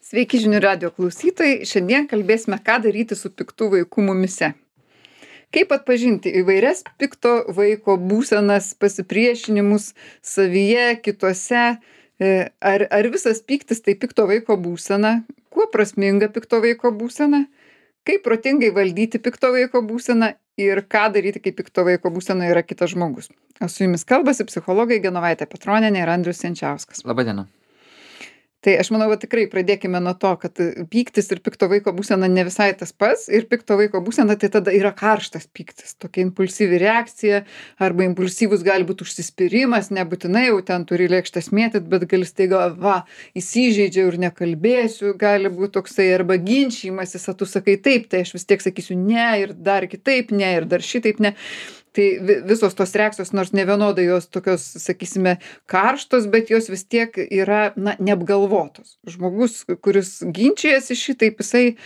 Sveiki žinių radijo klausytojai. Šiandien kalbėsime, ką daryti su piktu vaiku mumyse. Kaip atpažinti įvairias pikto vaiko būsenas, pasipriešinimus savyje, kituose. Ar visas pyktis tai pikto vaiko būsena? Kuo prasminga pikto vaiko būsena? Kaip protingai valdyti pikto vaiko būseną ir ką daryti, kai pikto vaiko būsena yra kitas žmogus. O su jumis kalbasi psichologai Genovaitė Petronienė ir Andrius Jančiauskas. Labadiena. Tai aš manau, kad tikrai pradėkime nuo to, kad pyktis ir pikto vaiko būsena ne visai tas pats. Ir pikto vaiko būsena tai tada yra karštas pyktis, tokia impulsyvi reakcija arba impulsyvus gali būti užsispyrimas, nebūtinai jau ten turi lėkštas mėtyt, bet gali staiga, įsižeidžiau ir nekalbėsiu, gali būti toksai arba ginčijimasis, tu sakai taip, tai aš vis tiek sakysiu ne ir dar kitaip ne ir dar šitaip ne. Tai visos tos reakcijos, nors ne vienodai jos tokios, sakysime, karštos, bet jos vis tiek yra, neapgalvotos. Žmogus, kuris ginčijasi šitaip, jisai,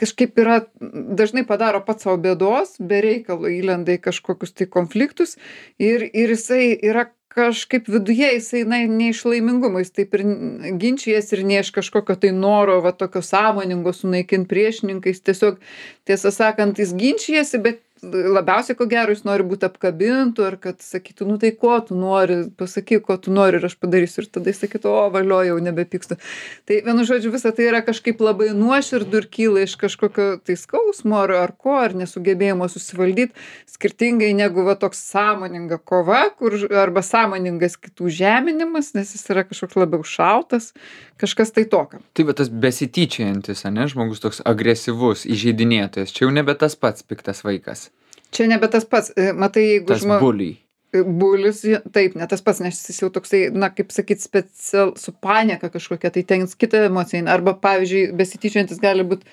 kažkaip yra, dažnai padaro pats savo bėdos, be reikalo įlenda į kažkokius tai konfliktus ir jisai yra kažkaip viduje, jisai, ne iš laimingumo, jis taip ir ginčijas ir ne iš kažkokio tai noro, tokio sąmoningo sunaikinti priešininkais, tiesiog, tiesą sakant, jis ginčijasi, bet labiausiai, ko gero, jis nori būti apkabintų, ar kad sakytų, tai ko tu nori, pasakyk, ko tu nori ir aš padarysiu. Ir tada jis sakytų, valio, jau nebepykstu. Tai vienu žodžiu, visa tai yra kažkaip labai nuoširdų ir kyla iš kažkokio tai skausmo ar ko, ar nesugebėjimo susivaldyti, skirtingai negu toks sąmoninga kova, arba sąmoningas kitų žeminimas, nes jis yra kažkoks labiau šaltas, kažkas tai tokio. Tai tas besityčiantis, žmogus toks agresyvus, įžeidinėtojas, čia jau nebe tas pats piktas vaikas. Čia nebe tas pats, matai, jeigu tas buliai. Bulis, taip, ne tas pats, nes jis jau toksai, kaip sakyt, su panieka kažkokia, tai ten kita emocija, arba, pavyzdžiui, besityčiantis gali būti,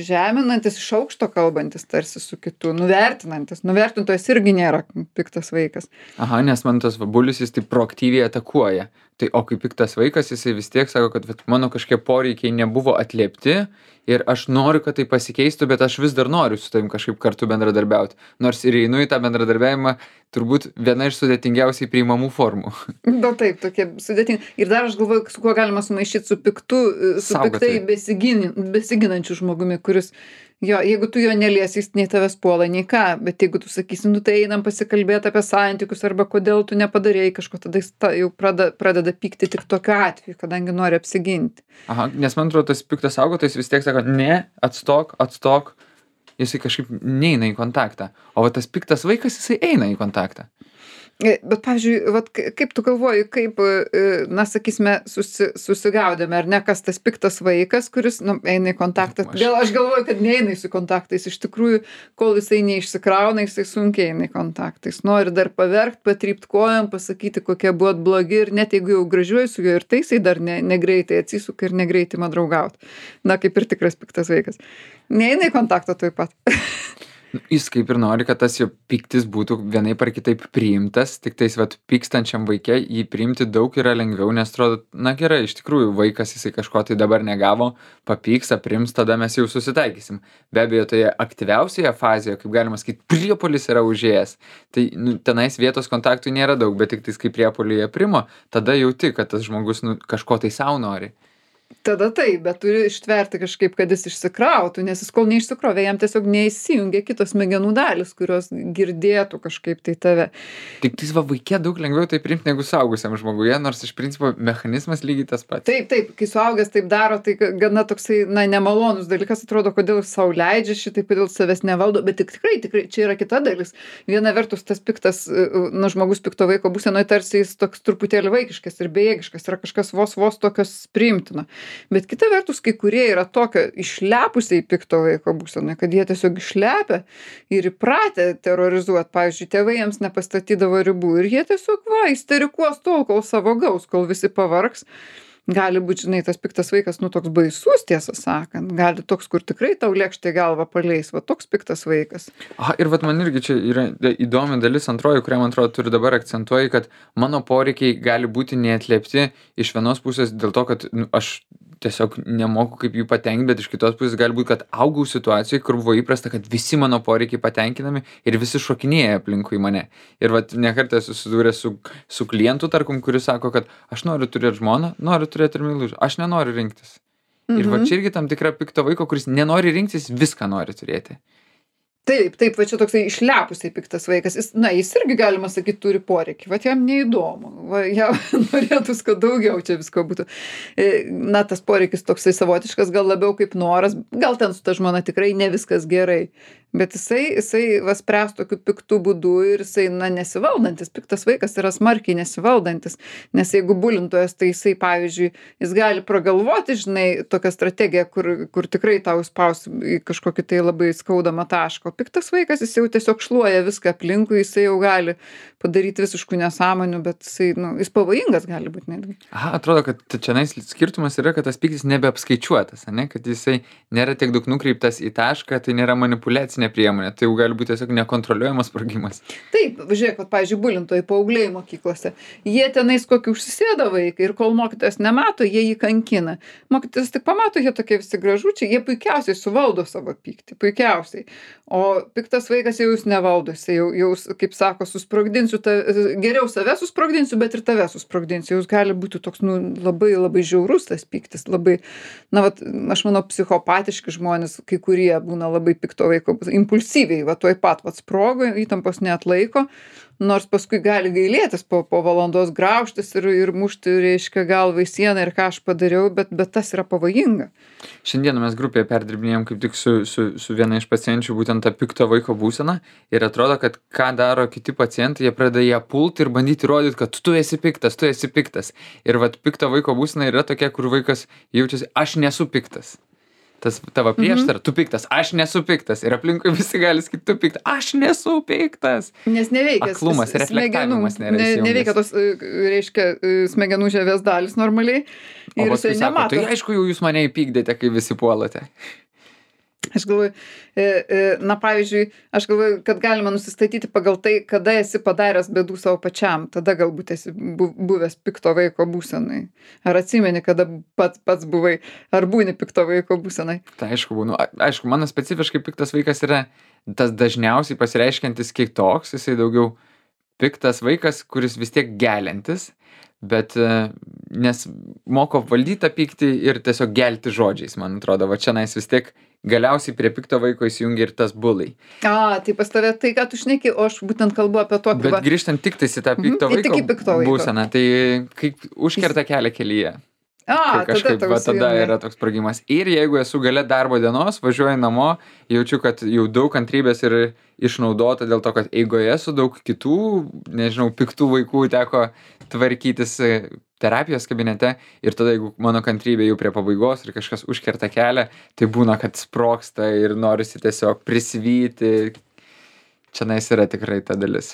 žeminantis, iš aukšto kalbantis tarsi su kitu, nuvertinantis. Nuvertintojas irgi nėra piktas vaikas. Aha, nes man tas bulis, jis taip proaktyviai atakuoja. Tai o kaip piktas vaikas, jisai vis tiek sako, kad mano kažkokie poreikiai nebuvo atliepti ir aš noriu, kad tai pasikeistų, bet aš vis dar noriu su tavim kažkaip kartu bendradarbiauti. Nors ir einu į tą bendradarbiavimą turbūt viena iš sudėtingiausiai priimamų formų. Taip, tokie sudėtingi. Ir dar aš galvoju, su kuo galima sumaišyti su piktai besiginančiu žmogumi, kuris, jeigu tu jo neliesi, jis nei tavęs puola, nei ką, bet jeigu tu sakysi, tai einam pasikalbėti apie santykius arba kodėl tu nepadarėjai kažko, tada jis jau pradeda pykti tik tokiu atveju, kadangi nori apsiginti. Aha, nes man atrodo, tas piktas saugotojas vis tiek sako, ne, atstok, jisai kažkaip neina į kontaktą. O tas piktas vaikas, jisai eina į kontaktą. Bet, pavyzdžiui, kaip tu galvoji, kaip, sakysime, susigaudėme, ar ne, kas tas piktas vaikas, kuris, eina į kontaktą. Gal aš galvoju, kad neina į kontaktais. Iš tikrųjų, kol jisai neišsikrauna, jisai sunkiai eina į kontaktą. Jis nori dar paverkt, patrypt kojom, pasakyti, kokie buvot blogi ir net jeigu jau gražiuoju su juo ir tai jisai dar negreitai atsisuka ir negreitai man draugauti. Kaip ir tikras piktas vaikas. Neina į kontaktą tuoj pat. Jis kaip ir nori, kad tas jo piktis būtų vienaip ar kitaip priimtas, tik tais pykstančiam vaikė jį priimti daug yra lengviau, nes atrodo, gerai, iš tikrųjų vaikas jisai kažko tai dabar negavo, papyks, aprims, tada mes jau susitaikysim. Be abejo, toje aktyviausioje fazėje, kaip galima sakyti, priepuolis yra užėjęs. Tai tenais vietos kontaktui nėra daug, bet tik tais kaip priepuolį aprimo, tada jauti, kad tas žmogus kažko tai savo nori. Tada taip, bet turi ištverti kažkaip, kad jis išsikrautų, nes jis kol neišsikrovė, jam tiesiog neįsijungia kitos smegenų dalis, kurios girdėtų kažkaip tai tave. Tik tais vaikė daug lengviau tai priimti negu suaugusiam žmoguje, nors iš principo mechanizmas lygiai tas pats. Taip, kai suaugęs taip daro, tai gana toksai, nemalonus dalykas, atrodo, kodėl jis sau leidžia šitaip, kodėl savęs nevaldo, bet tikrai, čia yra kita dalis. Viena vertus tas piktas, žmogus pikto vaiko būsenoje tarsi jis toks truputėlį vaikiškas ir bejėgiškas, yra kažkas vos tokios priimtino. Bet kita vertus, kai kurie yra tokio išlepusiai pikto vaiko būsenoje, kad jie tiesiog išlepia ir įpratę terrorizuoti. Pavyzdžiui, tėvai jiems nepastatydavo ribų ir jie tiesiog isterikuos tol, kol savo gaus, kol visi pavargs. Gali būti, tas piktas vaikas, toks baisus, tiesą sakant. Gali toks, kur tikrai tau lėkštė galvą paleis, toks piktas vaikas. Ir man irgi čia yra įdomi dalis antroji, kurią, man atrodo, turiu dabar akcentuoji, kad mano poreikiai gali būti neatliepti iš vienos pusės dėl to, kad aš tiesiog nemoku kaip jų patenkint, bet iš kitos pusės gali būt, kad augau situacijoj, kur buvo įprasta, kad visi mano poreikiai patenkinami ir visi šokinėja aplinkui mane. Ir vat ne kartą esu susidūręs su klientu, tarkim, kuris sako, kad aš noriu turėti žmoną, noriu turėti ir meilužį, aš nenoriu rinktis. Ir va čia irgi tam tikra pikto vaiko, kuris nenori rinktis, viską nori turėti. Taip, va čia toksai išlepusiai piktas vaikas. Jis irgi, galima sakyti, turi poreikį. Vat jam neįdomu. Jam norėtųs, kad daugiau čia visko būtų. Tas poreikis toksai savotiškas, gal labiau kaip noras. Gal ten su ta žmona tikrai ne viskas gerai. Bet jisai spręs tokiu piktu būdu ir jisai, nesivaldantis. Piktas vaikas yra smarkiai nesivaldantis. Nes jeigu bulintojas, tai jisai, pavyzdžiui, jis gali pragalvoti, žinai, tokią strategiją, kur tikrai tau spaus į kažkokį tai labai skaudamą tašką. Piktas vaikas, jis jau tiesiog šluoja viską aplinkui, jisai jau gali padaryti visiškų nesąmonių, bet jis pavojingas gali būti netgi. Atrodo, kad čianais skirtumas yra, kad tas pyktis nebeapskaičiuotas, ane? Kad jisai nėra tiek daug nukreiptas į tašką, tai nėra manipuliacinė priemonė, tai jau gali būti tiesiog nekontroliuojamas sprogimas. Taip, žiūrėk, pavyzdžiui, bulintojai paaugliai mokyklose, jie tenais kokį užsisėda vaiką ir kol mokytojas nemato, jie jį kankina. Mokytojas tik pamato, jie tokie visi gražučiai, jie puikiausiai suvaldo savo pyktį, puikiausiai. O piktas vaikas jau jūs nevaldo, jis jau, kaip sako, susprogdinsiu, geriau save susprogdinsiu, bet ir tave susprogdinsiu. Jūs gali būti toks, labai, labai žiaurus tas pyktis, labai, aš manau, psichopatiški žmonės, kai kurie būna labai pikto vaiko, impulsyviai, tuoj pat sprogo, įtampos neatlaiko, nors paskui gali gailėtis po valandos graužtis ir mušti, reiškia, galvą į sieną ir ką aš padariau, bet tas yra pavojinga. Šiandieną mes grupėje perdirbinėjom kaip tik su viena iš pacienčių būtent tą pikto vaiko būseną ir atrodo, kad ką daro kiti pacientai, jie pradeda ją pulti ir bandyti rodyti, kad tu esi piktas. Ir pikto vaiko būsena yra tokia, kur vaikas jaučiasi, aš nesu piktas. Tas tavo prieštara, tu piktas, aš nesu piktas. Ir aplinkui visi gali sakyti, tu piktas, aš nesu piktas. Nes neveikia. Aklumas, reflektavimas nėra įsijungęs. Neveikia tos, reiškia, smegenų žievės dalis normaliai. Ir jisai nemato. Tai aišku, jau jūs mane įpykdėte, kai visi puolate. Aš galvoju, pavyzdžiui, kad galima nusistatyti pagal tai, kada esi padaręs bėdų savo pačiam, tada galbūt esi buvęs pikto vaiko būsenai. Ar atsimeni, kada pats buvai, ar būni pikto vaiko būsenai? Tai aišku, būnu. Aišku, mano specifiškai piktas vaikas yra tas dažniausiai pasireiškiantis kitoks, jisai daugiau piktas vaikas, kuris vis tiek geliantis, bet nes moko valdyti tą pyktį ir tiesiog gelti žodžiais, man atrodo, va čianais vis tiek galiausiai prie pikto vaiko įsijungia ir tas bulai. Tai pas tave tai, ką tu šneki, o aš būtent kalbu apie tokį. Bet grįžtant tik tais į tą pikto vaiko būseną, tai kaip užkerta kelią kelyje. Tada yra toks sprogimas. Ir jeigu esu gale darbo dienos, važiuoju namo, jaučiu, kad jau daug kantrybės ir išnaudota dėl to, kad eigoje su daug kitų, nežinau, piktų vaikų teko tvarkytis terapijos kabinete ir tada, jeigu mano kantrybė jau prie pabaigos ir kažkas užkerta kelią, tai būna, kad sprogsta ir norisi tiesiog prisivyti. Čianais yra tikrai ta dalis.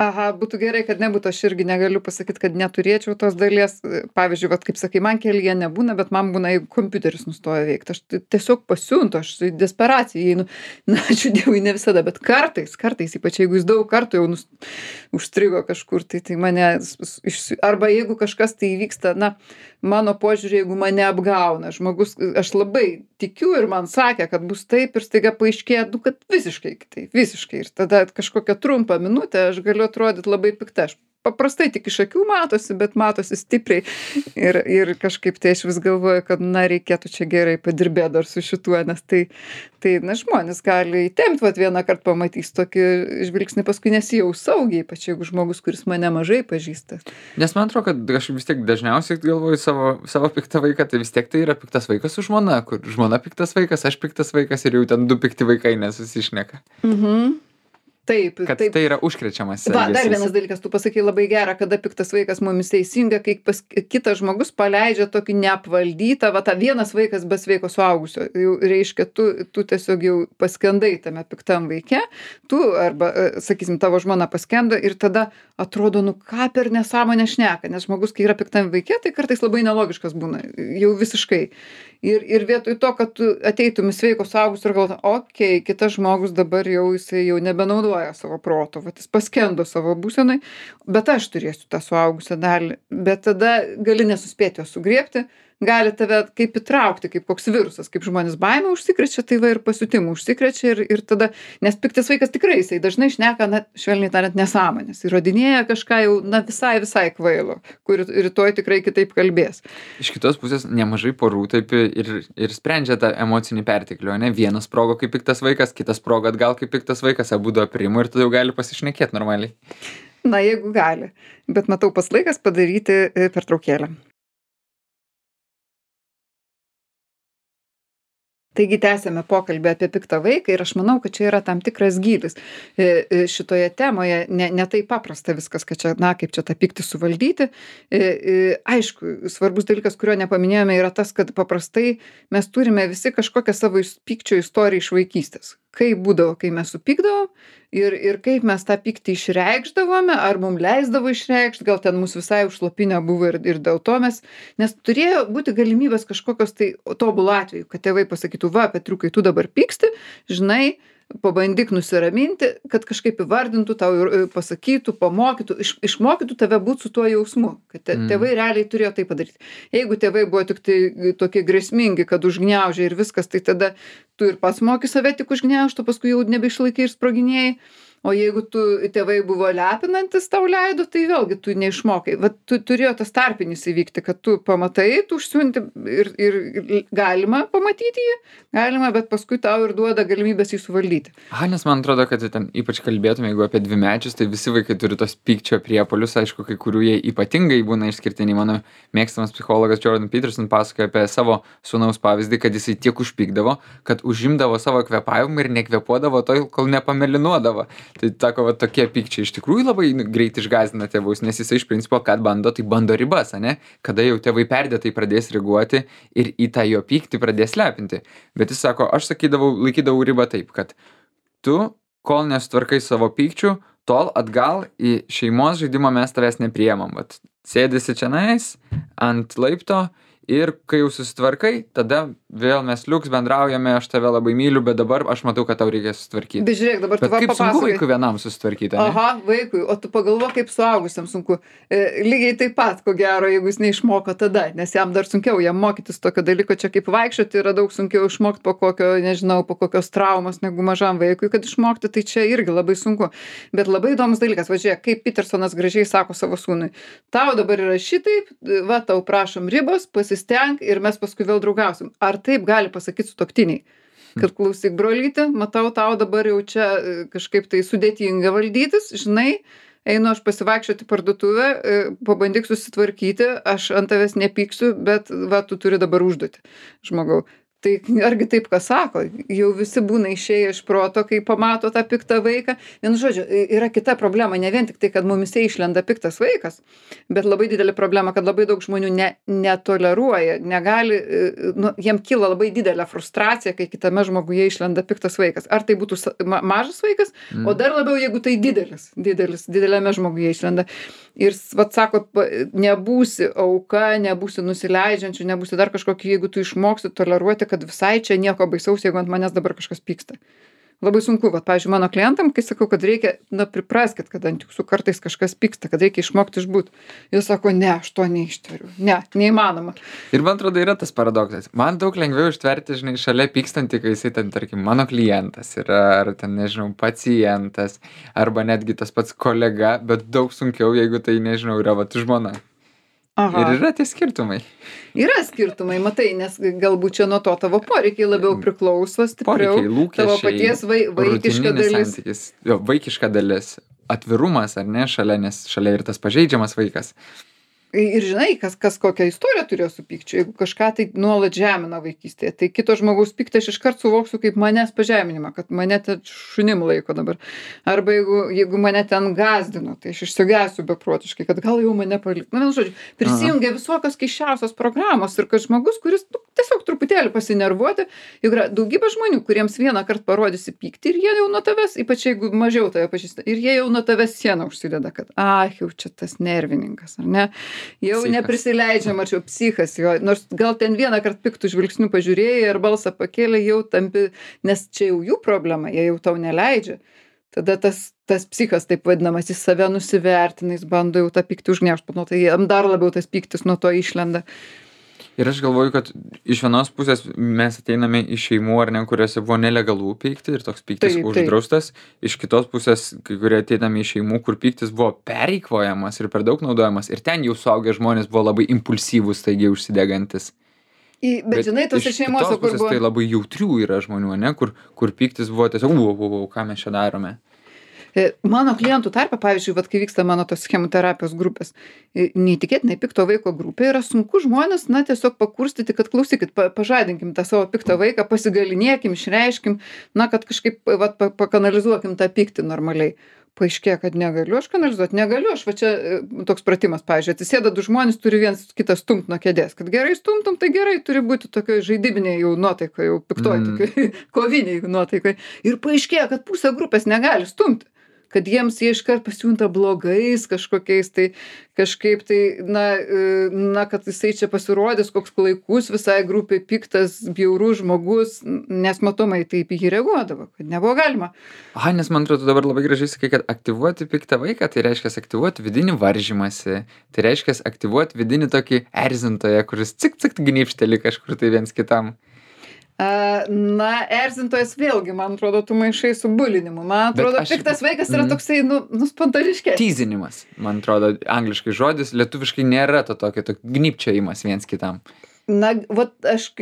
Būtų gerai, kad nebūtų, aš irgi negaliu pasakyti, kad neturėčiau tos dalies. Pavyzdžiui, kaip sakai, man kelyje nebūna, bet man būna, jeigu kompiuteris nustoja veikti. Aš tiesiog pasiuntu, aš į desperaciją einu. Ačiū Dievui, ne visada, bet kartais, ypač jeigu jis daug kartų jau užstrigo kažkur, tai mane, arba jeigu kažkas tai įvyksta, mano požiūrį, jeigu mane apgauna žmogus, aš labai tikiu ir man sakė, kad bus taip ir staiga paaiškėja, kad visiškai kitaip, visiškai. Ir tada kažkokią trumpą minutę aš galiu atrodyti labai pikta. Aš paprastai tik iš akių matosi, bet matosi stipriai. Ir kažkaip tai aš vis galvoju, kad reikėtų čia gerai padirbėti dar su šituo, nes tai žmonės gali įtempti, vieną kartą pamatys tokį žvilgsnį, paskui nesijaus saugiai, ypač jeigu žmogus, kuris mane mažai pažįsta. Nes man atrodo, kad aš vis tiek dažniausiai galvoju savo piktą vaiką, tai vis tiek tai yra piktas vaikas su žmona, kur žmona piktas vaikas, aš piktas vaikas ir jau ten du pikti vaikai nesusišneka. Taip. Kad tai yra užkrečiamas. Dar vienas dalykas, tu pasakai labai gerą, kada piktas vaikas mumis teisinga, kai kitas žmogus paleidžia tokį neapvaldytą, tą vienas vaikas be sveiko suaugusio. Jau reiškia, tu tiesiog jau paskendai tame piktam vaike, tu arba, sakysim, tavo žmona paskendo ir tada atrodo, ką per nesąmonę šneka, nes žmogus, kai yra piktam vaike, tai kartais labai nelogiškas būna, jau visiškai. Ir vietoj to, kad tu ateitum į sveiko suaugusio ir galvotum, kitas žmogus dabar jisai jau nebenaudoja savo proto, jis paskendo savo būsenai, bet aš turėsiu tą suaugusią dalį, bet tada gali nesuspėti jo sugriebti, gali tave kaip įtraukti, kaip koks virusas, kaip žmonės baimę užsikrečia, tai va ir pasiutimų užsikrečia ir tada, nes piktas vaikas tikrai jisai dažnai šneka, na, švelniai tariant, nesąmonės, įrodinėja kažką jau, na, visai kvailo, kur rytoj tikrai kitaip kalbės. Iš kitos pusės nemažai porų taip ir sprendžia tą emocinį perteklių, ne? Vienas sprogo kaip piktas vaikas, kitas sprogo atgal kaip piktas vaikas, abudu aprimo ir tada jau gali pasišnekėti normaliai. Na, jeigu gali. Bet matau, pas laikas padaryti pertraukėlę. Taigi tęsėme pokalbį apie piktą vaiką ir aš manau, kad čia yra tam tikras gylis. Šitoje temoje ne taip paprasta viskas, kad čia, na, kaip čia tą pyktį suvaldyti. Aišku, svarbus dalykas, kurio nepaminėjome, yra tas, kad paprastai mes turime visi kažkokią savo pykčio istoriją iš vaikystės. Kaip būdavo, kai mes supykdavom ir kaip mes tą pyktį išreikšdavome, ar mums leisdavo išreikšti, gal ten mūsų visai užslopinę buvo ir dėl to nes turėjo būti galimybės kažkokios tai tobulų atvejų, kad tėvai pasakytų, va, Petriukai, tu dabar pyksti, žinai, pabandyk nusiraminti, kad kažkaip įvardintų, tau pasakytų, pamokytų, išmokytų tave būti su tuo jausmu, kad tėvai realiai turėjo tai padaryti. Jeigu tėvai buvo tik tai tokie grėsmingi, kad užgniaužė ir viskas, tai tada tu ir pats moki save tik užgniaužti, paskui jau nebeišlaikai ir sproginėjai. O jeigu tėvai buvo lepinantis, tau leido, tai vėlgi tu neišmokai. Vat turėjo tas tarpinis įvykti, kad tu pamatai, tu užsiunti ir galima pamatyti jį, galima, bet paskui tau ir duoda galimybės jį suvaldyti. Nes man atrodo, kad ten ypač kalbėtume, jeigu apie dvimečius, tai visi vaikai turi tos pykčio priepuolius, aišku, kai kurių jie ypatingai būna išskirtiniai. Mano mėgstamas psichologas Jordan Peterson pasakoja apie savo sūnaus pavyzdį, kad jisai tiek užpykdavo, kad užimdavo savo kvėpavimą ir nekvėpuodavo tol, kol nepamelinuodavo. Tai tako, va, tokie pykčiai iš tikrųjų labai greit išgąsdina tėvus, nes jisai iš principo, kad bando, tai bando ribas, ane? Kada jau tėvai perdėtai pradės reaguoti ir į tą jo pyktį pradės lepinti. Bet jis sako, aš laikydavau ribą taip, kad tu, kol nesutvarkai savo pykčių, tol atgal į šeimos žaidimą mes tavęs nepriemam. Vat sėdėsi čianais ant laipto ir kai jau susitvarkai, tada vėl mes liuks bendraujame, aš tave labai myliu, bet dabar aš matau, kad tau reikia susitvarkyti. Bet žiūrėk, dabar tu kaip papasakojai. Sunku vaikui vienam susitvarkyti, ne? Aha, vaikui, o tu pagalvok, kaip suaugusiam sunku. Lygiai taip pat, ko gero, jeigu jis neišmoko tada, nes jam dar sunkiau, jam mokytis tokio dalyko, čia kaip vaikščioti yra daug sunkiau išmokti po kokios traumos negu mažam vaikui, kad išmokti, tai čia irgi labai sunku. Bet labai įdomus dalykas, va žiūrėk, kaip Petersonas gražiai sako savo sūnui, tau dabar yra šitaip, va tau prašom ribos, pasistenk ir mes paskui vėl draugausim. Ar taip gali pasakyti sutuoktiniai? Kad klausyk, brolyti, matau, tau dabar jau čia kažkaip tai sudėtinga valdytis, žinai, einu aš pasivaikščioti parduotuvę, pabandyk susitvarkyti, aš ant tavęs nepyksiu, bet va, tu turi dabar užduoti, žmogau. Tai argi taip, ką sako, jau visi būna išėję iš proto, kai pamato tą piktą vaiką. Vienu žodžiu, yra kita problema, ne vien tik tai, kad mumise išlenda piktas vaikas, bet labai didelė problema, kad labai daug žmonių netoleruoja, negali, jiem kyla labai didelė frustracija, kai kitame žmoguje išlenda piktas vaikas. Ar tai būtų mažas vaikas, o dar labiau, jeigu tai dideliame žmoguje išlenda. Ir, vat sako, nebūsi auka, nebūsi nusileidžiančių, nebūsi dar kažkokį, jeigu tu išmoksi toleruoti, kad visai čia nieko baisaus, jeigu ant manęs dabar kažkas pyksta. Labai sunku, vat, pavyzdžiui, mano klientam, kai sakau, kad reikia, pripraskit, kad ant jūsų kartais kažkas pyksta, kad reikia išmokti išbūt. Jis sako, ne, aš to neištveriu. Ne, neįmanoma. Ir man atrodo, yra tas paradoksas. Man daug lengviau ištverti, žinai, šalia pykstantį, kai jisai ten, tarkim, mano klientas yra, ar ten, nežinau, pacientas, arba netgi tas pats kolega, bet daug sunkiau, jeigu tai, nežinau, yra vat žmona. Aha. Ir yra tie skirtumai. Yra skirtumai, matai, nes galbūt čia nuo to tavo poreikiai labiau priklauso stipriau. Poreikiai, lūkesčiai, tavo paties vaikiška dalis. Santykis, jo, vaikiška dalis, atvirumas, ar ne, šalia, nes šalia ir tas pažeidžiamas vaikas. Ir žinai, kas kokią istoriją turėjo su pykčiu, jeigu kažką tai nuolat žemina vaikystėje, tai kito žmogaus pyktį aš iškart suvoksiu kaip manęs pažeminimą, kad mane ten šunim laiko dabar. Arba jeigu mane ten gąsdino, tai aš išsigęsiu beprotiškai, kad gal jau mane paliko. Na, vienu žodžiu, prisijungia visokios keisčiausios programos ir kad žmogus, kuris tiesiog truputėlį pasinervuoti, juk yra daugybė žmonių, kuriems vieną kartą parodysi pyktį ir jie jau nuo tavęs, ypač jeigu mažiau tave pažįsta, ir jie jau nuo tavęs sieną užsideda, kad jau čia tas nervininkas, ar ne? Jau psichas. Neprisileidžia, mačiau, psichas jo, nors gal ten vieną kartą piktų žvilgsnių pažiūrėjai ir balsą pakėlė, jau tampi, nes čia jau jų problema, jie jau tau neleidžia. Tada tas psichas, taip vadinamas, jis save nusivertina, jis bando jau tą pyktį užgniaužti, tai jam dar labiau tas pyktis nuo to išlenda. Ir aš galvoju, kad iš vienos pusės mes ateiname iš šeimų, ar ne, kuriuose buvo nelegalų pykti ir toks pyktis Taip, taip. uždraustas. Iš kitos pusės, kai kurie ateiname iš šeimų, kur pyktis buvo pereikvojamas ir per daug naudojamas. Ir ten jau suaugę žmonės buvo labai impulsyvūs, taigi užsidegantis. Bet žinai, tose iš šeimose, kitos kur pusės buvo... tai labai jautrių yra žmonių, ne, kur pyktis buvo tiesiog, ką mes čia darome. Mano klientų tarpe, pavyzdžiui, vat, kai vyksta mano tos chemoterapijos grupės, neįtikėtinai pikto vaiko grupė, yra sunku žmonės, na, tiesiog pakurstyti, kad klausykit, pažadinkim tą savo piktą vaiką, pasigalinėkim, išreiškim, na, kad kažkaip, vat, pakanalizuokim tą pyktį normaliai. Paaiškėja, kad negaliu aš kanalizuoti, negaliu aš, va čia toks pratimas, pavyzdžiui, atsisėda du žmonės, turi vienas kitą stumt nuo kėdės, kad gerai stumtum, tai gerai, turi būti tokioj žaidybinėj jau nuotaikoje, jau piktoj, tokioj koviniai nuotaikoje. Ir paaiškėja, kad pusė grupės negali stumti, kad jiems jie iškart pasijunta blogais kažkokiais, tai kažkaip tai, na, kad jisai čia pasirodys koks klaikus visai grupiai, piktas, bjaurus žmogus, nes matomai taip į jį reaguodavo, kad nebuvo galima. Nes man atrodo dabar labai gražiai sakai, kad aktyvuoti piktą vaiką, tai reiškia aktyvuoti vidinį varžymąsi, tai reiškia aktyvuoti vidinį tokį erzintoją, kuris cik gnybšteli kažkur tai viens kitam. Na, erzintojas vėlgi, man atrodo, tu maišai su bulinimu. Man atrodo, piktas vaikas yra toksai, spontaniškesnis. Tyzinimas, man atrodo, angliškai žodis, lietuviškai nėra to tokio gnybčiojimas viens kitam. Na, vat aš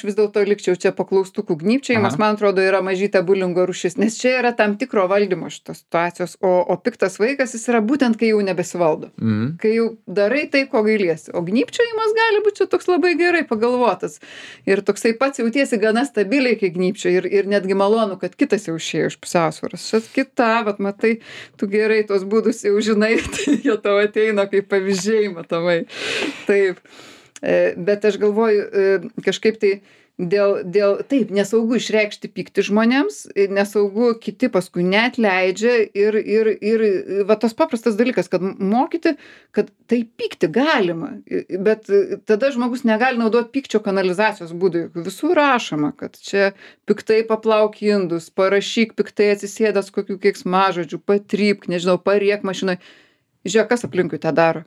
vis dėlto likčiau čia paklaustukų gnybčiojimas, man atrodo, yra mažytė bulingo rūšis, nes čia yra tam tikro valdymo šitos situacijos, o piktas vaikas jis yra būtent, kai jau nebesivaldo. Kai jau darai tai, ko gailiesi. O gnybčiojimas gali būti čia toks labai gerai pagalvotas. Ir toksai pats jautiesi gana stabiliai, kai gnybčio ir netgi malonu, kad kitas jau išėjo iš pusiausvyros. Šis kita, vat matai, tu gerai tos būdus jau žinai, tai jie tau ateina kaip pavyzdžiai, matomai. Taip. Bet aš galvoju, kažkaip tai taip, nesaugu išreikšti pyktį žmonėms, nesaugu kiti paskui neatleidžia ir va tas paprastas dalykas, kad mokyti, kad tai pykti galima, bet tada žmogus negali naudoti pykčio kanalizacijos būdų. Visur rašoma, kad čia piktai paplauk indus, parašyk piktai atsisėdęs kokių keiksmažodžių, patrypk, nežinau, pariek mašinoj. Žiūrėk, kas aplinkui tą daro.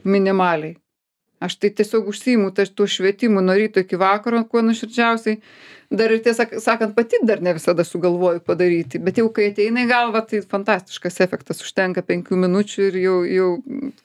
Minimaliai. Aš tai tiesiog užsiimu tuo švietimu nuo ryto iki vakaro, kuo nuoširdžiausiai. Dar ir tiesą sakant, pati dar ne visada sugalvoju padaryti, bet jau kai ateina į galvą, tai fantastiškas efektas, užtenka 5 minučių ir jau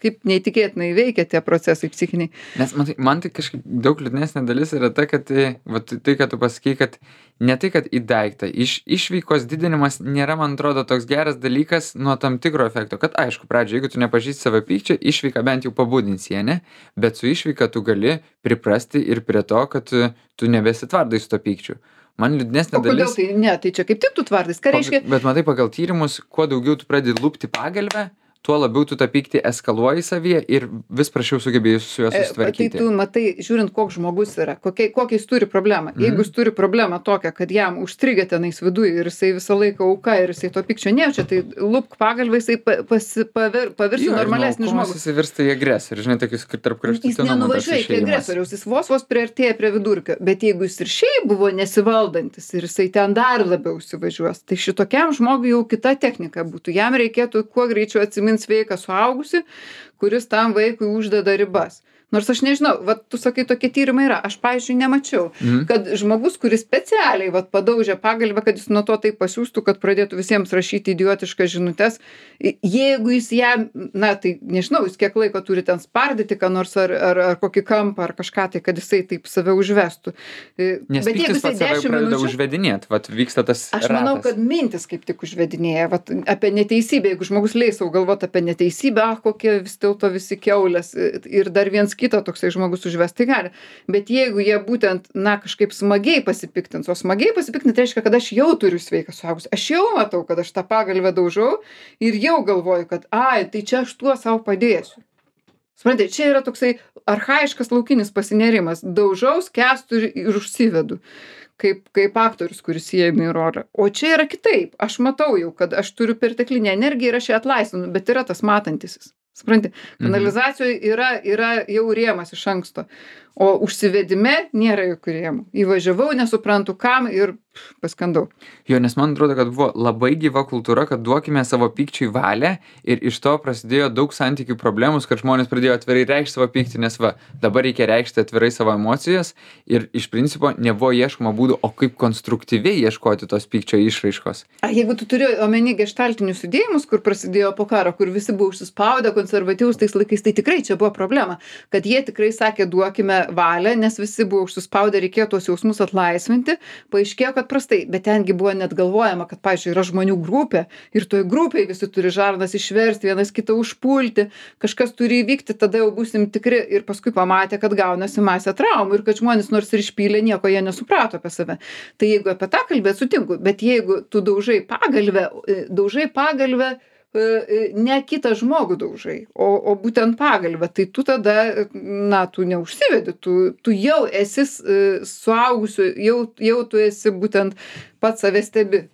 kaip neįtikėtinai veikia tie procesai psichiniai. Nes man tai kažkaip daug liūdnesnė dalis yra ta, kad tai, kad tu pasakei, kad ne tai, kad į daiktą, išveikos didinimas nėra, man atrodo, toks geras dalykas nuo tam tikro efekto, kad aišku, pradžioje, jeigu tu nepažįsti savo pykčio, išveiką bent jau pabudinsi, ne? Bet su išveika tu gali priprasti ir prie to, kad tu nebesitvardai su to pykčiu. Man liūdnesnė dalis... O kodėl tai ne? Tai čia kaip tik tu tvardais. Ką reiškia? Bet matai, pagal tyrimus, kuo daugiau tu pradedi lupti pagalvę, tuo labiau tu tą pyktį eskaluoji savyje ir vis prašiau sugebėjai su juo susitvarkyti. Tai tu matai, žiūrint, koks žmogus yra, kokią jis turi problemą. Jeigu jis turi problemą tokią, kad jam užstrigę tenais viduje ir jisai visą laiką auka ir jisai to pykčio nejaučia, tai lupk pagalbą, jisai pavirs normalesnį žmogų. Jis virsta į agresorių, žinai, tokius tarp kraštutinumų. Jis nenuvažiuoja iki agresoriaus, jis vos priartėja prie vidurkio, bet jeigu jis ir šiaip buvo nesivaldantis ir jisai ten dar labiau įsivažiuos, tai šitokiam žmogui jau kita technika būtų. Jam reikėtų kuo greičiau atsiminti sveiką suaugusi, kuris tam vaikui uždeda ribas. Nors aš nežinau, vat tu sakai, tokie tyrimai yra. Aš, pavyzdžiui, nemačiau, kad žmogus, kuris specialiai padaužė pagalbę, kad jis nuo to taip pasiųstų, kad pradėtų visiems rašyti idiotiškas žinutes, jeigu jis jam, na, tai nežinau, jis kiek laiko turi ten spardyti, ką nors ar kokį kampą, ar kažką tai, kad jisai taip save užvestų. Nes bet pyktis pats save pradeda užvedinėt, vyksta tas ratas. Aš manau, kad mintis kaip tik užvedinėja, apie neteisybę, jeigu žmogus leis savo galvoti apie neteisybę, kokie vis dėlto visi kiaulės ir dar viens kitą toksai žmogus užvest, tai gali. Bet jeigu jie būtent, na, kažkaip smagiai pasipiktins, o smagiai pasipiktins reiškia, kad aš jau turiu sveiką suaugusi. Aš jau matau, kad aš tą pagalvę daužau ir jau galvoju, kad, tai čia aš tuo savo padėsiu. Suprantate, čia yra toksai archaiškas laukinis pasinerimas. Daužau, skęstu ir užsivedu. Kaip aktorius, kuris įeina į rolę. O čia yra kitaip. Aš matau jau, kad aš turiu perteklinę energiją ir aš ją atlaisvinu, bet yra tas matantisis. Supranti, kanalizacijoje yra jau rėmas iš anksto, o užsivedime nėra jokių rėmų. Įvažiavau, nesuprantu kam ir paskendau. Jo, nes man atrodo, kad buvo labai gyva kultūra, kad duokime savo pykčiui valią ir iš to prasidėjo daug santykių problemų, kad žmonės pradėjo atvirai reikšti savo pyktį, nes va, dabar reikia reikšti atvirai savo emocijas ir iš principo nebuvo ieškoma būdų, o kaip konstruktyviai ieškoti tos pykčio išraiškos. Jeigu tu turi omeny geštaltinius judėjimus, kur prasidėjo po karo, kur visi buvo užsispaudę, konservatyvūs tais laikais, tai tikrai čia buvo problema, kad jie tikrai sakė, duokime valią, nes visi buvo užsispaudę, reikėjo tuos jausmus atlaisvinti, paaiškėjo, kad prastai, bet tengi buvo net galvojama, kad, pavyzdžiui, yra žmonių grupė ir toj grupėje visi turi žarnas išversti, vienas kitą užpulti, kažkas turi įvykti, tada jau būsim tikri ir paskui pamatė, kad gaunasi masė traumų ir kad žmonės nors ir išpylė, nieko jie nesuprato apie save. Tai jeigu apie tą kalbėt, sutinku, bet jeigu tu daužai pagalvę, ne kitą žmogų daužai, o būtent pagalbę, tai tu tada, tu neužsivedi, tu jau esi suaugusiu, jau tu esi būtent pats save stebi.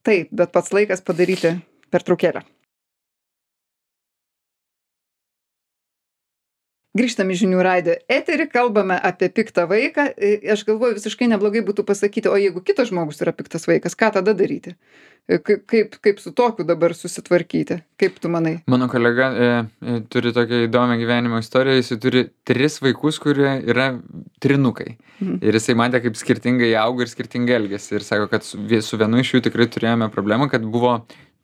Taip, bet pats laikas padaryti pertraukėlę. Grįžtam į žinių radijo eterį, kalbame apie piktą vaiką. Aš galvoju, visiškai neblogai būtų pasakyti, o jeigu kitas žmogus yra piktas vaikas, ką tada daryti? Kaip su tokiu dabar susitvarkyti? Kaip tu manai? Mano kolega turi tokią įdomią gyvenimo istoriją, jis turi 3 vaikus, kurie yra trinukai. Ir jisai matė, kaip skirtingai auga ir skirtingai elgėsi. Ir sako, kad su vienu iš jų tikrai turėjome problemą, kad buvo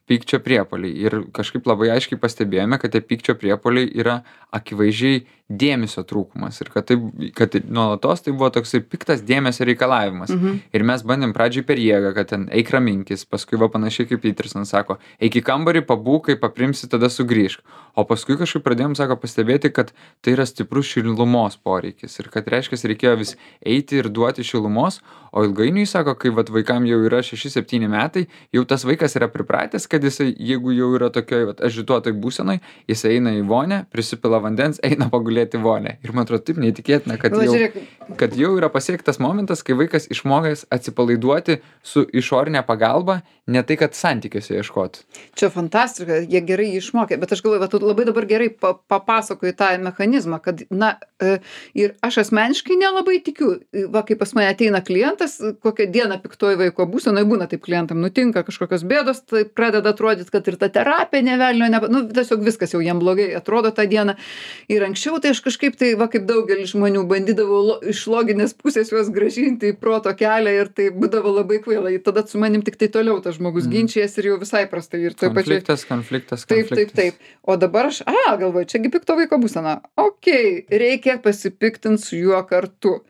pykčio priepuoliai. Ir kažkaip labai aiškiai pastebėjome, kad tie pykčio priepuoliai yra akivaizdžiai dėmesio trūkumas. Ir kad nuolatos tai buvo toksai piktas dėmesio reikalavimas. Ir mes bandėm pradžiai per jėgą, kad ten eik raminkis, paskui va panašiai kaip Peterson sako, eik į kambarį, pabūk, kai paprimsi, tada sugrįžk. O paskui kažkaip pradėjom, sako, pastebėti, kad tai yra stiprus šilumos poreikis. Ir kad reiškia, reikėjo vis eiti ir duoti šilumos, o ilgainiui, sako, kai vat vaikam jau yra 6-7 metai, jau tas vaikas yra pripratęs, kad jisai, jeigu jau yra tokioj agituotoj būsenoj, jisai eina į vonę, prisipila vandens, eina pagulėti vonę. Ir man atrodo, taip neįtikėtina, kad jau yra pasiektas momentas, kai vaikas išmokęs atsipalaiduoti su išorinė pagalba, ne tai, kad santykiuose ieškoti. Čia fantastika, jie gerai jį išmokė, bet aš galvoju, tu labai dabar gerai papasakoji tą mechanizmą, kad, ir aš asmeniškai nelabai tikiu, kai pas mane ateina klientas, kokią dieną piktoji vaiko būsenoje būna, taip klientam nutinka kažkokios bėdos, tai pradeda atrodyti, kad ir ta terapija nevelnio, tiesiog viskas jau jiem blogai atrodo tą dieną. Ir anksčiau tai aš kažkaip tai, kaip daugelis žmonių, bandydavau iš loginės pusės juos grąžinti į proto kelią ir tai būdavo labai kvaila. Tada su manim tik tai toliau tas žmogus ginčijas ir jau visai prastai. Ir Konfliktas. Taip. O dabar aš, galvoju, čiagi pikto vaiko būsena. Reikia pasipiktinti su juo kartu.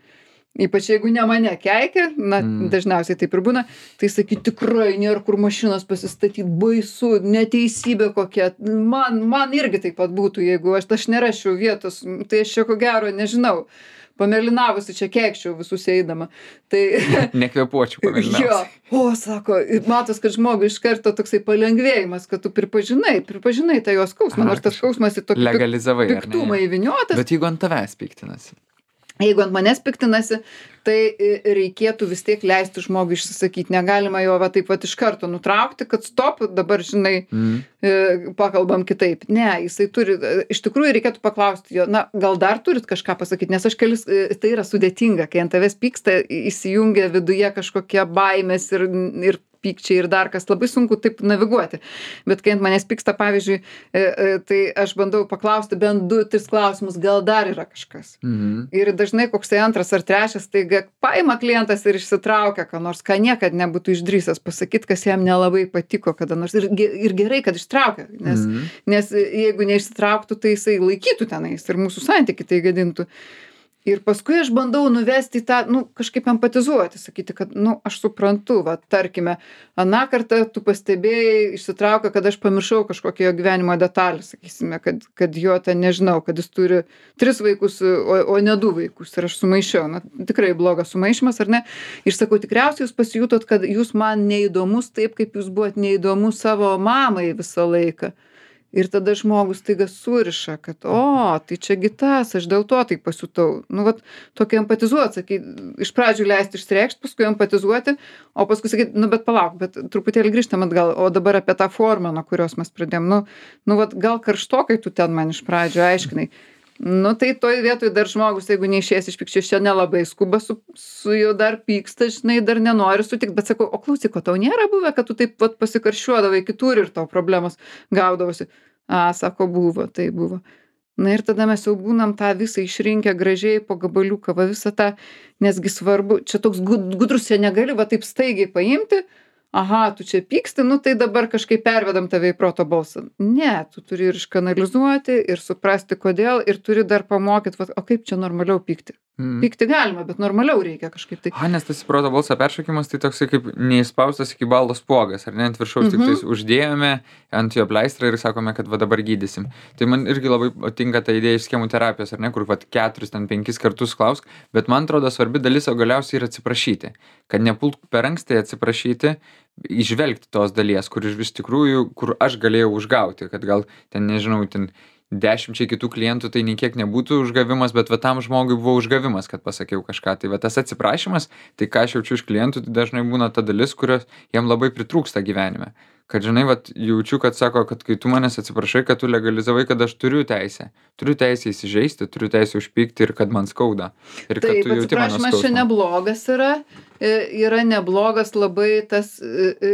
Ypač jeigu ne mane keikia, dažniausiai taip ir būna, tai sakyt, tikrai nėra kur mašinos pasistatyti, baisu, neteisybė kokia. Man irgi taip pat būtų, jeigu aš nerašiau vietos, tai aš čia ko gero nežinau. Pamelinavusi čia keikščiau visus eidama. Tai nekvėpuočiau pamelinavusi. Sako, matos, kad žmogui iš karto toksai palengvėjimas, kad tu pripažinai tą jos skausmą, nors tas skausmas į tokį piktumą įviniotas. Bet jeigu ant tavęs piktinasi? Jeigu ant manęs piktinasi, tai reikėtų vis tiek leisti žmogui išsisakyti. Negalima jo taip iš karto nutraukti, kad stop, dabar, pakalbam kitaip. Ne, jisai turi, iš tikrųjų reikėtų paklausti jo, gal dar turit kažką pasakyti, nes tai yra sudėtinga, kai ant tavęs pyksta, įsijungia viduje kažkokie baimės ir pykčiai ir dar kas, labai sunku taip naviguoti. Bet kai ant manęs pyksta, pavyzdžiui, tai aš bandau paklausti bent 2-3 klausimus, gal dar yra kažkas. Ir dažnai koksai 2 ar 3, tai paima klientas ir išsitraukia, ką niekad nebūtų išdrįsęs pasakyti, kas jam nelabai patiko kada nors. Ir gerai, kad ištraukia, nes jeigu neišsitrauktų, tai jisai laikytų tenais ir mūsų santykį tai gadintų. Ir paskui aš bandau nuvesti tą, kažkaip empatizuoti, sakyti, kad, aš suprantu, tarkime, aną kartą tu pastebėjai, išsitraukia, kad aš pamiršau kažkokią jo gyvenimo detalę, sakysime, kad jo ten nežinau, kad jis turi 3 vaikus, o ne 2 vaikus ir aš sumaišiau. Tikrai blogas sumaišymas, ar ne? Ir sakau, tikriausiai jūs pasijutot, kad jūs man neįdomus taip, kaip jūs buvot neįdomus savo mamai visą laiką. Ir tada žmogus taiga suriša, kad, tai čia gitas, aš dėl to tai pasijutau. Tokį empatizuoti, iš pradžių leisti išreikšti, paskui empatizuoti, o paskui sakyti, bet palauk, bet truputėlį grįžtam atgal, o dabar apie tą formą, nuo kurios mes pradėjom. Gal karštokai tu ten man iš pradžių aiškinai. Nu, tai toj vietoj dar žmogus, jeigu neišės iš pykčio, čia nelabai skuba su juo dar pyksta, žinai, dar nenori sutikt, bet sakau, o klausyk, o tau nėra buvę, kad tu taip vat pasikarščiuodavai kitur ir tau problemos gaudavosi? A, sako, buvo, tai buvo. Na ir tada mes jau būnam tą visą išrinkę gražiai po gabaliuką, va visą tą, nesgi svarbu, čia toks gudrus, čia negali va taip staigiai paimti, aha, tu čia pyksti, nu tai dabar kažkaip pervedam tave į proto balsą. Ne, tu turi ir iškanalizuoti, ir suprasti, kodėl, ir turi dar pamokyt, va, o kaip čia normaliau pykti. Pykti galima, bet normaliau reikia kažkaip tai. Nes tas proto balso peršokimas tai toksai kaip neįspaustas iki baldo spuogas, ar ne, ant viršaus tik tais uždėjome ant jo pleistrą ir sakome, kad va dabar gydysim. Tai man irgi labai patinka ta idėja iš schemų terapijos, ar ne, kur va 4-5 kartus klausk, bet man atrodo svarbi dalis, o galiausiai ir atsiprašyti. Kad nepult per anksti atsiprašyti, įžvelgti tos dalies, kur iš tikrųjų, kur aš galėjau užgauti, kad gal ten, nežinau, ten 10 kitų klientų tai nei kiek nebūtų užgavimas, bet va tam žmogui buvo užgavimas, kad pasakiau kažką. Tai va tas atsiprašymas, tai ką aš jaučiu iš klientų, tai dažnai būna ta dalis, kurios jam labai pritrūksta gyvenime. Kad žinai, vat, jaučiu, kad sako, kad kai tu manęs atsiprašai, kad tu legalizavai, kad aš turiu teisę įsižeisti, turiu teisę užpykti ir kad man skauda. Ir kad taip, tu jauti mano atsiprašymas čia neblogas yra neblogas labai tas,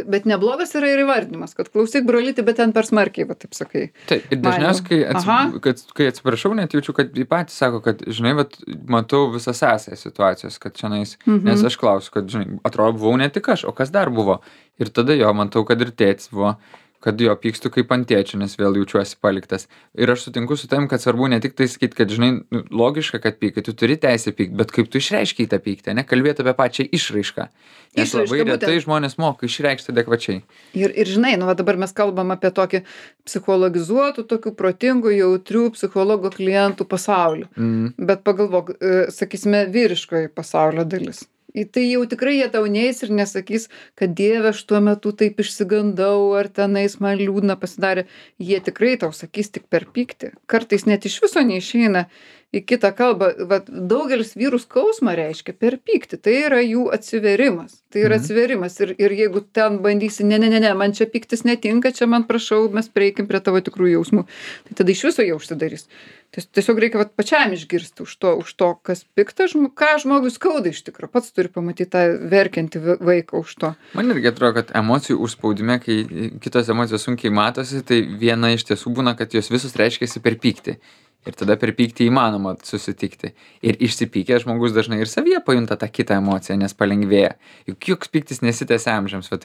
bet neblogas yra ir įvardinimas, kad klausyk, brolyti, bet ten per smarkiai, va taip sakai. Taip, ir dažniausiai, kai atsiprašau, net jaučiu, kad jį patys sako, kad, žinai, vat, matau visą sąsąją situacijos, kad čionais, nes aš klausiu, kad, žinai, atrodo, buvau ne tik aš, o kas dar buvo. Ir tada jo, matau, kad ir tėtis buvo, kad jo pykstu kaip ant tėčio, nes vėl jaučiuosi paliktas. Ir aš sutinku su tavim, kad svarbu ne tik tai sakyti, kad, žinai, logiška, kad pykai, tu turi teisę pykti, bet kaip tu išreiškiai tą pyktį, ne, kalbėti apie pačią išraišką. Nes labai retai žmonės moka išreikšti adekvačiai. Ir žinai, nu va dabar mes kalbam apie tokį psichologizuotų, tokių protingų, jautrių psichologo klientų pasaulį. Bet pagalvok, sakysime, vyriškoji pasaulio dalis. Tai jau tikrai jie tau neis ir nesakys, kad Dieve, aš tuo metu taip išsigandau, ar tenais man liūdna pasidarė. Jie tikrai tau sakys tik per pyktį. Kartais net iš viso neišeina į kitą kalbą. Vat, daugelis vyrų skausmą reiškia per pyktį. Tai yra jų atsiverimas. Tai yra atsiverimas. Ir jeigu ten bandysi, ne, man čia pyktis netinka, čia man prašau, mes prieikim prie tavo tikrų jausmų. Tai tada iš viso jie užsidarys. Tiesiog reikia vat, pačiam išgirsti už to, kas pikta, ką žmogui skauda iš tikrųjų. Pats turi pamatyti tą verkiantį vaiką už to. Man irgi atrodo, kad emocijų užspaudime, kai kitos emocijos sunkiai matosi, tai viena iš tiesų būna, kad jos visus reiškiasi per pyktį. Ir tada per pyktį įmanoma susitikti. Ir išsipykęs žmogus dažnai ir savyje pajunta tą kitą emociją, nes palengvėja. Juk joks pyktis nesitęsia amžiams. Vat,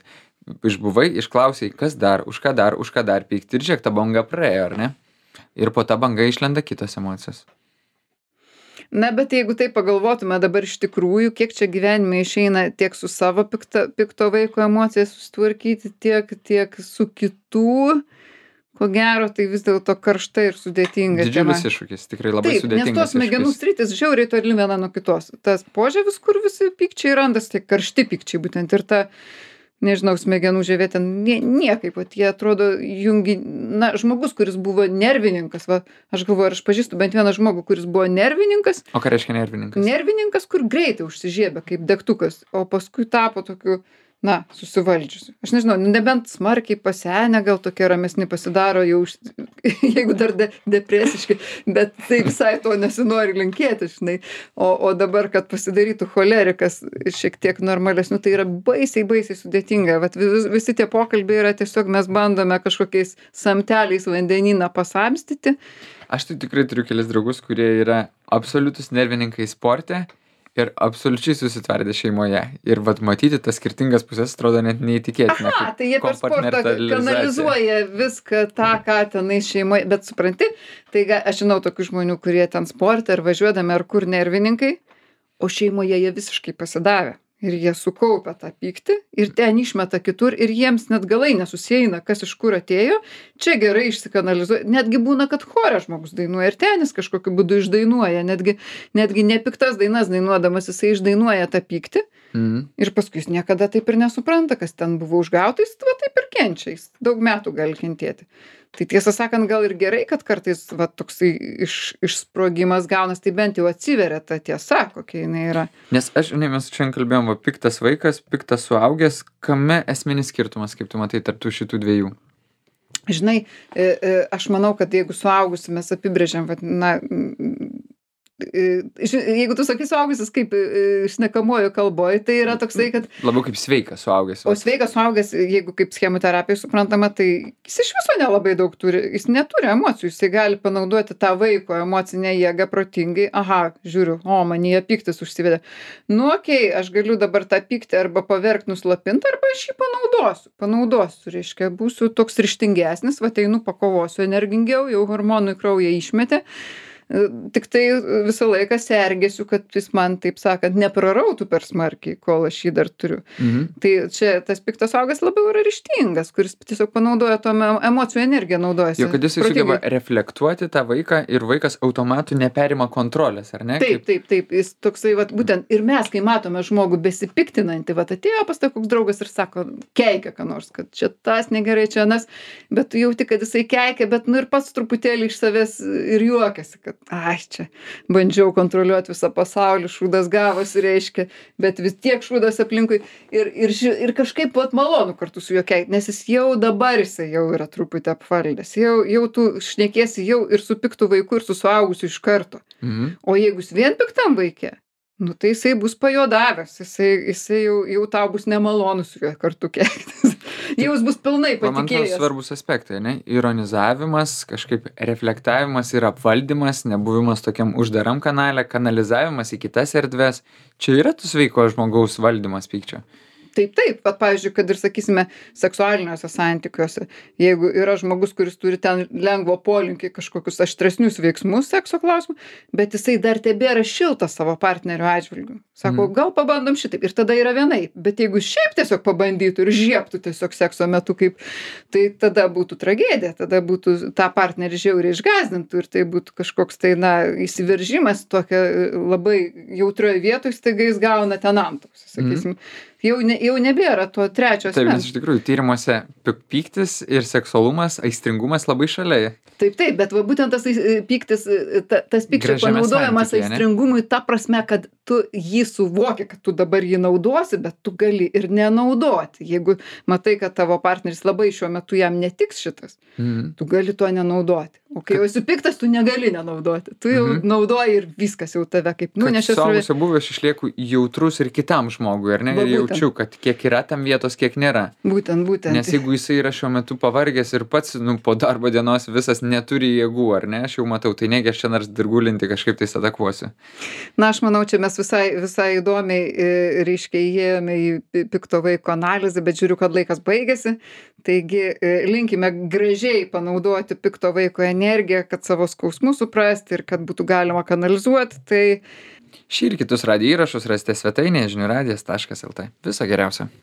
išbuvai, išklausai, kas dar, už ką dar pykti. Ir žiūrėk, ta banga praėjo, ar ne? Ir po tą bangą išlenda kitos emocijos. Na, bet jeigu tai pagalvotume dabar iš tikrųjų, kiek čia gyvenime išeina tiek su savo pikto vaiko emocija susitvarkyti, tiek su kitų, ko gero, tai vis dėlto karšta ir sudėtinga. Didžiulis iššūkis, tikrai labai sudėtingas. Nes tos smegenų sritis žiauriai toli viena nuo kitos. Tas požievis, kur visi pykčiai randas, tai karšti pykčiai būtent ir ta, nežinau, smegenų žievė ten niekaip, vat, jie atrodo jungi, na, žmogus, kuris buvo nervininkas, va, aš galvoju, aš pažįstu bent vieną žmogų, kuris buvo nervininkas. O ką reiškia nervininkas? Nervininkas, kur greitai užsižiebė kaip degtukas, o paskui tapo tokiu, na, susivaldžiusi. Aš nežinau, nebent smarkiai pasenę, gal tokie ramesni pasidaro jau, jeigu dar depresiški, bet tai visai to nesinori linkėti, žinai. O dabar, kad pasidarytų cholerikas šiek tiek normalesnių, tai yra baisiai sudėtinga. Vat visi tie pokalbiai yra tiesiog mes bandome kažkokiais samteliais vandenyną pasamstyti. Aš tai tikrai turiu kelis draugus, kurie yra absoliutus nervininkai sporte. Ir absoliučiai susitvardę šeimoje. Ir vat matyti tas skirtingas pusės atrodo net neįtikėtina. Aha, tai jie per sportą kanalizuoja viską tą, ką tenai šeimoje. Bet supranti, tai aš žinau tokių žmonių, kurie ten sportą ar važiuodami ar kur nervininkai, o šeimoje jie visiškai pasidavę. Ir jie sukaupia tą pyktį ir ten išmeta kitur ir jiems net galai nesusieina, kas iš kur atėjo. Čia gerai išsikanalizuoja. Netgi būna, kad chore žmogus dainuoja ir ten jis kažkokiu būdu išdainuoja. Netgi nepiktas dainas dainuodamas jisai išdainuoja tą pyktį. Ir paskui jis niekada taip ir nesupranta, kas ten buvo užgauta, jis va taip ir kenčia. Jis daug metų gali kentėti. Tai tiesą sakant, gal ir gerai, kad kartais va, toksai išsprogimas gaunas, tai bent jau atsiveria ta tiesa, kokia jinai yra. Nes žinai, mes šiandien kalbėjom, va, piktas vaikas, piktas suaugęs, kame esminis skirtumas, kaip tu matai, tarp tų šitų dviejų? Žinai, aš manau, kad jeigu suaugusi mes apibrėžiam, vat, na, jeigu tu sakai suaugusis kaip šnekamuoju kalboj, tai yra toksai, kad Labiau kaip sveikas suaugęs. o sveikas suaugęs, jeigu kaip schemų terapija suprantama, tai jis iš viso nelabai daug turi, jis neturi emocijų, jisai gali panaudoti tą vaiko emocinę jėgą protingai, aha, žiūriu, o manyje pyktis užsivedė. Nu, okei, aš galiu dabar tą pyktį arba paverkt, nuslapint, arba aš jį panaudosiu, reiškia, būsiu toks ryžtingesnis, va einu pakovosiu energingiau, jau hormonų į kraują išmetė. Tik tai visą laiką sergėsiu, kad jis man, taip sakant, neprarautų per smarkiai, kol aš jį dar turiu. Tai čia tas piktas suaugęs labiau yra ryžtingas, kuris tiesiog panaudoja to emocijų energiją naudojasi. Jo, kad jisai sugeba reflektuoti tą vaiką ir vaikas automatu neperima kontrolės, ar ne? Taip, jis toksai, vat, būtent, ir mes, kai matome žmogų besipiktinantį, vat atėjo pas tai koks draugas ir sako, keikia ką nors, kad čia tas negerai, čia anas, bet tu jauti, kad jisai keikia, bet nu ir pats truputėlį iš savęs ir juokiasi, kad ai, čia bandžiau kontroliuoti visą pasaulį, šūdas gavosi, reiškia, bet vis tiek šūdas aplinkui ir kažkaip vat malonu kartu su juo keikti, nes jis jau dabar jisai jau yra truputį apvaldęs, jau tu šnekėsi jau ir su piktu vaiku, ir su suaugusiu iš karto. O jeigu jis vien piktam vaikė, nu tai jisai bus pajodavęs, jisai jau tau bus nemalonu su juo kartu keiktis. Jau jis bus pilnai Man atrodo patikėjęs. svarbus aspektai, ne? Ironizavimas, kažkaip reflektavimas ir apvaldymas, nebuvimas tokiam uždaram kanale, kanalizavimas į kitas erdves. Čia yra tu sveiko žmogaus valdymas pykčio. Taip, vat pavyzdžiui, kad ir sakysime, seksualiniuose santykiuose, jeigu yra žmogus, kuris turi ten lengvo polinkį kažkokius aštresnius veiksmus sekso klausimų, bet jisai dar tebėra šiltas savo partnerio atžvilgiu. Sako, gal pabandom šitaip. Ir tada yra vienaip. Bet jeigu šiaip tiesiog pabandytų ir žieptų tiesiog sekso metu, kaip, tai tada būtų tragedija, tada būtų tą partnerį žiauriai išgąsdintų ir tai būtų kažkoks tai, na, įsiveržimas tokia labai jautrioje vietoje, staiga jis gauna ten antausį, sakysim. Jau nebėra to trečio Taip, nes asmens. iš tikrųjų tyrimuose pyktis ir seksualumas, aistringumas labai šalia. Taip, bet va būtent tas pyktis, tas pykčio Gražiame panaudojimas santykyje, ne? aistringumui ta prasme, kad tu jį suvoki, kad tu dabar jį naudosi, bet tu gali ir nenaudoti. Jeigu matai, kad tavo partneris labai šiuo metu jam netiks šitas, tu gali to nenaudoti. O kai jau esi piktas, tu negali nenaudoti. Tu jau naudoji ir viskas jau tave kaip nunešė. Suaugusio buvęs aš išlieku jautrus ir kitam žmogui, ar ne? Va, Ir būtent. jaučiu, kad kiek yra tam vietos, kiek nėra. Būtent. Nes jeigu jisai yra šiuo metu pavargęs ir pats, po darbo dienos visas neturi jėgų, ar ne? Aš jau matau, tai negi aš čia nors dirgulinti kažkaip tai atakuosiu. Na, aš manau, čia mes visai įdomiai, reiškia, įėjome į pikto vaiko analizę, bet žiūriu, kad laikas baigėsi. Taigi, linkime gražiai panaudoti pikto vaiko energiją, kad savo skausmus suprasti ir kad būtų galima kanalizuoti. Tai Šį ir kitus radijo įrašus rasite svetainėje žinių radijas.lt. Viso geriausio.